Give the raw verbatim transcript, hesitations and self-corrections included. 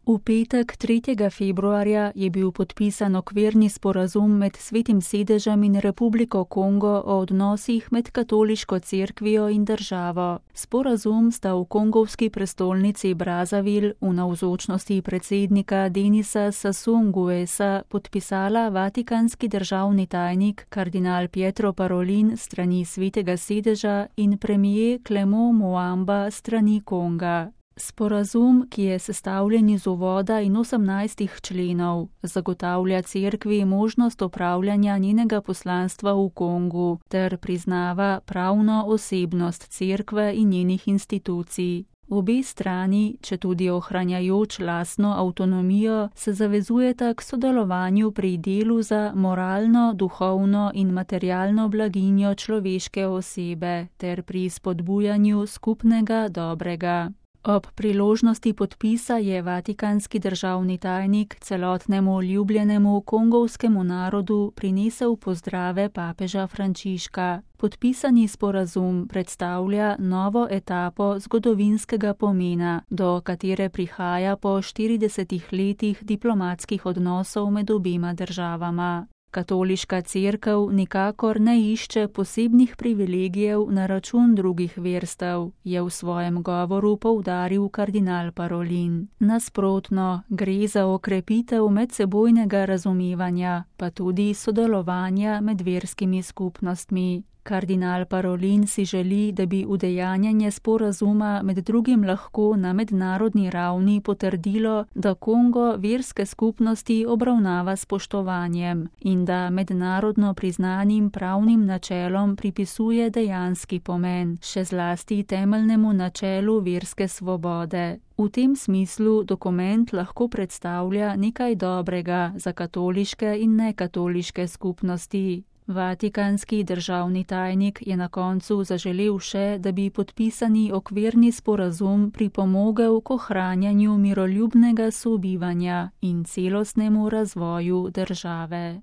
V petek, tretjega februarja, je bil podpisan okvirni sporazum med Svetim sedežem in Republiko Kongo o odnosih med katoliško cerkvijo in državo. Sporazum sta v kongovski prestolnici Brazzaville v navzočnosti predsednika Denisa Sassou Nguessa podpisala vatikanski državni tajnik kardinal Pietro Parolin strani Svetega sedeža in premier Clément Muamba strani Konga. Sporazum, ki je sestavljen iz uvoda in osemnajstih členov, zagotavlja cerkvi možnost opravljanja njenega poslanstva v Kongu ter priznava pravno osebnost cerkve in njenih institucij. Obe strani, četudi ohranjajoč lastno avtonomijo, se zavezujeta k sodelovanju pri delu za moralno, duhovno in materialno blaginjo človeške osebe ter pri spodbujanju skupnega dobrega. Ob priložnosti podpisa je vatikanski državni tajnik celotnemu ljubljenemu kongovskemu narodu prinesel pozdrave papeža Frančiška. Podpisani sporazum predstavlja novo etapo zgodovinskega pomena, do katere prihaja po štiridesetih letih diplomatskih odnosov med obema državama. Katoliška cerkev nikakor ne išče posebnih privilegijev na račun drugih verstev, je v svojem govoru poudaril kardinal Parolin. Nasprotno, gre za okrepitev medsebojnega razumevanja, pa tudi sodelovanja med verskimi skupnostmi. Kardinal Parolin si želi, da bi udejanjanje sporazuma med drugim lahko na mednarodni ravni potrdilo, da Kongo verske skupnosti obravnava s spoštovanjem in da mednarodno priznanim pravnim načelom pripisuje dejanski pomen, še zlasti temeljnemu načelu verske svobode. V tem smislu dokument lahko predstavlja nekaj dobrega za katoliške in nekatoliške skupnosti. Vatikanski državni tajnik je na koncu zaželel še, da bi podpisani okvirni sporazum pripomogel k ohranjanju miroljubnega sobivanja in celostnemu razvoju države.